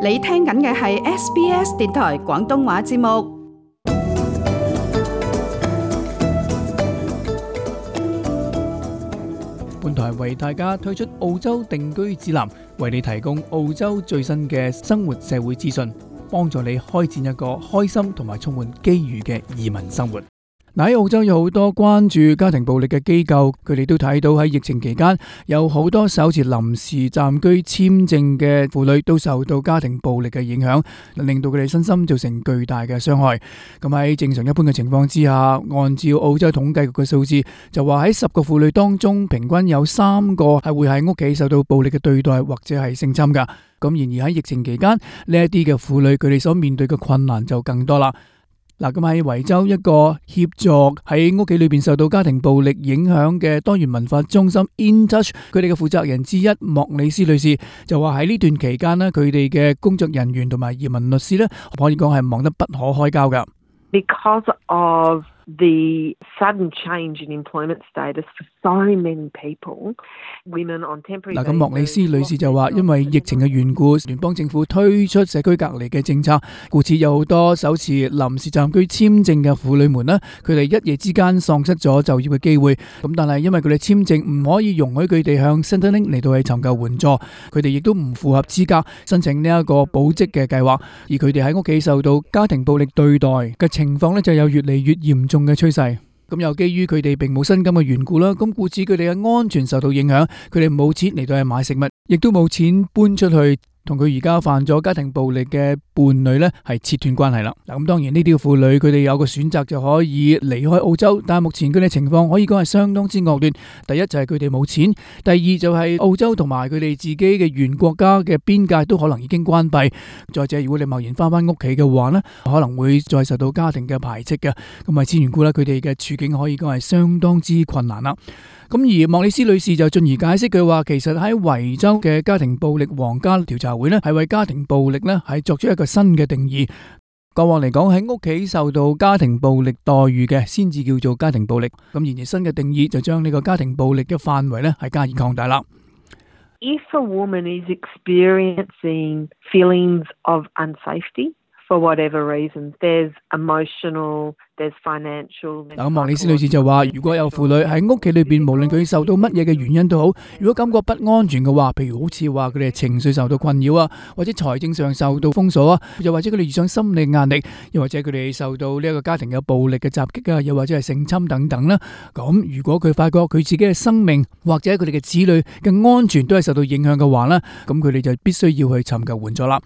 你聽緊嘅係 SBS 電台廣東話節目。本台為大家推出澳洲定居指南，為你提供澳洲最新嘅生活社會資訊，幫助你開展一個開心同埋充滿機遇嘅移民生活。喺澳洲有好多關注家庭暴力嘅機構，佢哋都睇到喺疫情期間有好多手持臨時暫居簽證嘅婦女都受到家庭暴力嘅影響，令到佢哋身心造成巨大嘅傷害。咁喺正常一般嘅情況之下，按照澳洲統計局嘅數字，就話喺10個婦女當中，平均有3個係會喺屋企受到暴力嘅對待或者係性侵噶。咁然而喺疫情期間，呢一啲嘅婦女佢哋所面對嘅困難就更多啦。嗱，咁喺維州一個協助喺屋企裏邊受到家庭暴力影響嘅多元文化中心 InTouch， 佢哋嘅負責人之一莫里斯女士就話喺呢段期間呢，佢哋嘅工作人員同埋移民律師呢，可以講係忙得不可開交噶。Because of the sudden change in employment status for so many people, women on temporary 咁莫里斯女士就話，因為疫情嘅緣故，聯邦政府推出社區隔離嘅政策，故此有好多手持臨時暫居簽證嘅婦女們呢，佢哋一夜之間喪失咗就業嘅機會。咁但係因為佢哋簽證唔可以容許佢哋向 Centrelink 嚟到去尋求援助，佢哋亦都唔符合資格申請呢一個保職嘅計劃，而佢哋喺屋企受到家庭暴力對待嘅情況呢，就有越嚟越嚴重嘅趨勢。咁又基於佢哋並冇薪金嘅緣故啦，咁故此佢哋嘅安全受到影響，佢哋冇錢嚟到去買食物，亦都冇錢搬出去同佢而家犯咗家庭暴力嘅伴侶呢係切斷關係啦。咁當然呢啲婦女佢哋有個選擇就可以離開澳洲，但係目前佢哋情況可以講係相當之惡劣。第一就係佢哋冇錢，第二就係澳洲同埋佢哋自己嘅原國家嘅邊界都可能已經關閉。再者，如果你貿然翻屋企嘅話呢，可能會再受到家庭嘅排斥嘅。咁為此緣故呢，佢哋嘅處境可以講係相當之困難啦。咁而莫里斯女士就進而解釋佢話，其實喺維州嘅家庭暴力皇家調查會呢，係為家庭暴力呢係作出一個新嘅定義。過往嚟講，喺屋企受到家庭暴力待遇嘅先至叫做家庭暴力。咁然而新嘅定義就將呢個家庭暴力嘅範圍呢係加以擴大啦。If a woman is experiencing feelings of unsafety for whatever reasons, there's emotional, there's financial。咁莫里斯女士就話，如果有婦女喺屋企裏邊，無論佢受到乜嘢嘅原因都好，如果感覺不安全嘅話，譬如好似話佢哋情緒受到困擾啊，或者財政上受到封鎖啊，又或者佢哋遇上心理壓力，又或者佢哋受到呢一個家庭嘅暴力嘅襲擊啊，又或者係性侵等等啦。咁如果佢發覺佢自己嘅生命或者佢哋嘅子女嘅安全都係受到影響嘅話呢，咁佢哋就必須要去尋求援助啦。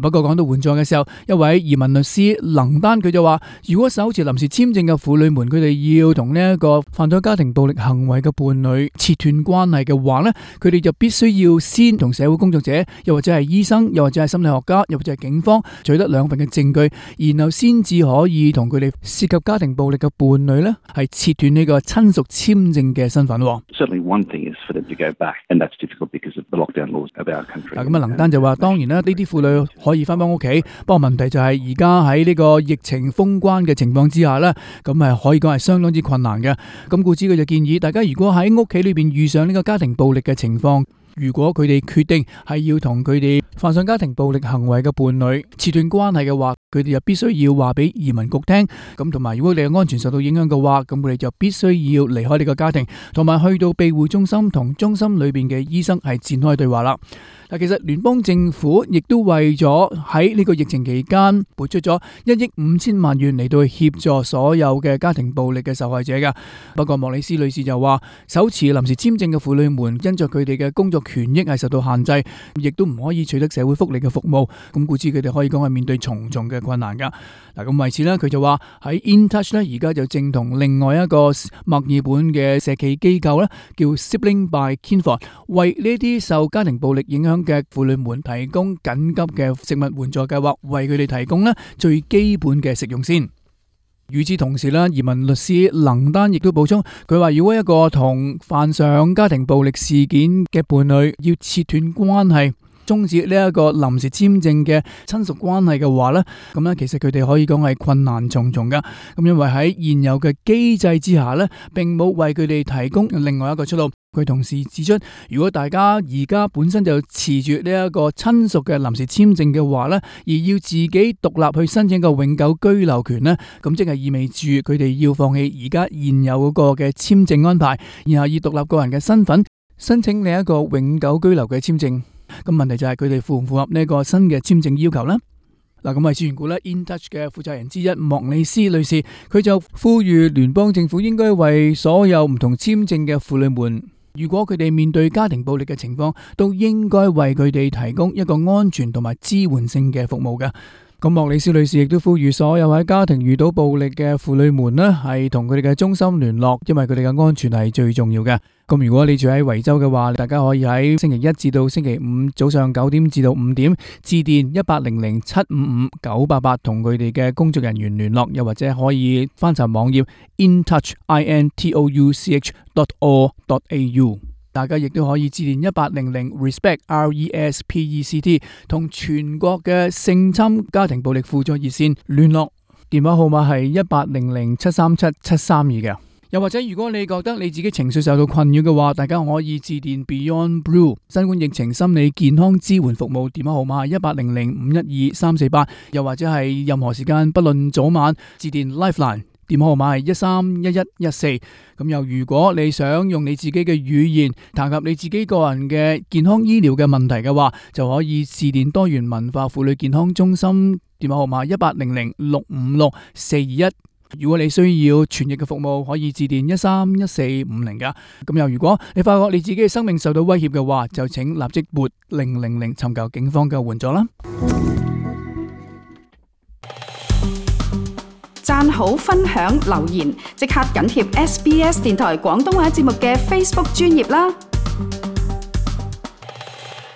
不過講到援助嘅時候，一位移民律師能丹佢就話，如果手持臨時簽證嘅婦女們，佢哋要同呢一個犯咗家庭暴力行為嘅伴侶切斷關係嘅話呢，佢哋就必須要先同社會工作者，又或者係醫生，又或者係心理學家，又或者係警方取得2份嘅證據，然後先至可以同佢哋涉及家庭暴力嘅伴侶呢係切斷呢個親屬簽證嘅身份。Certainly one thing is for them to go back, and that's difficult because of the lockdown laws of our country. 咁能丹就話，當然啦，呢啲婦女可以翻屋企，不過問題就係而家喺呢個疫情封關嘅情況之下呢，咁係可以講係相當之困難嘅。咁故此佢就建議大家，如果喺屋企裏邊遇上呢個家庭暴力嘅情況，如果佢哋決定係要同佢哋犯上家庭暴力行為嘅伴侶切斷關係嘅話，佢哋就必須要話俾移民局聽。咁同埋，如果你嘅安全受到影響嘅話，咁佢哋就必須要離開呢個家庭，同埋去到庇護中心同中心裏邊嘅醫生係展開對話啦。嗱，其實聯邦政府亦都為咗喺呢個疫情期間撥出咗1億5千萬元嚟到協助所有嘅家庭暴力嘅受害者㗎。不過莫里斯女士就話，手持臨時簽證嘅婦女們因着佢哋嘅工作權益係受到限制，亦都唔可以取得社會福利嘅服務，咁故此佢哋可以講係面對重重嘅困難㗎。嗱，咁為此呢，佢就話喺 InTouch 呢，而家就正同另外一個墨爾本嘅社企機構呢，叫 Sibling by Kinfold， 為呢啲受家庭暴力影響嘅婦女們提供緊急嘅食物援助計劃，為佢哋提供呢最基本嘅食用先。與此同時呢，移民律師能丹亦都補充，佢話如果一個同犯上家庭暴力事件嘅伴侶要切斷關係，終止呢一個臨時簽證嘅親屬關係嘅話呢，咁呢其實佢哋可以講係困難重重噶。咁因為喺現有嘅機制之下呢，並冇為佢哋提供另外一個出路。佢同時指出，如果大家而家本身就持住呢一個親屬嘅臨時簽證嘅話呢，而要自己獨立去申請個永久居留權呢，咁即係意味住佢哋要放棄而家現有嗰個嘅簽證安排，然後以獨立個人嘅身份申請另一個永久居留嘅簽證。咁問題就係佢哋符唔符合呢個新嘅簽證要求呢？嗱，咁係資源股咧 InTouch 嘅負責人之一莫里斯女士，佢就呼籲聯邦政府應該為所有唔同簽證嘅婦女們，如果佢哋面對家庭暴力嘅情況，都應該為佢哋提供一個安全同埋支援性嘅服務嘅。咁莫里斯女士亦都呼籲所有喺家庭遇到暴力嘅婦女們呢，係同佢哋嘅中心聯絡，因為佢哋嘅安全係最重要嘅。咁如果你住喺維州嘅話，大家可以喺星期一至到星期五早上9點至到5點致電1800-755-988同佢哋嘅工作人員聯絡，又或者可以翻查網頁 intouch.org.au。大家亦都可以致電1800-RESPECT RESPECT 同全國嘅性侵家庭暴力輔助熱線聯絡，電話號碼係1800-737-732嘅。又或者如果你覺得你自己情緒受到困擾嘅話，大家可以致電 Beyond Blue 新冠疫情心理健康支援服務，電話號碼係1800-512-348，又或者係任何時間不論早晚致電 Lifeline，電話號碼係131114。咁又如果你想用你自己嘅語言談及你自己個人嘅健康醫療嘅問題嘅話，就可以致電多元文化婦女健康中心，電話號碼1800-656-421。如果你需要傳譯嘅服務，可以致電131450噶。咁又如果你發覺你自己嘅生命受到威脅嘅話，就請立即撥000尋求警方嘅援助啦。讚好、分享、留言，即刻緊貼SBS 電台廣東話節目嘅 Facebook 專頁啦。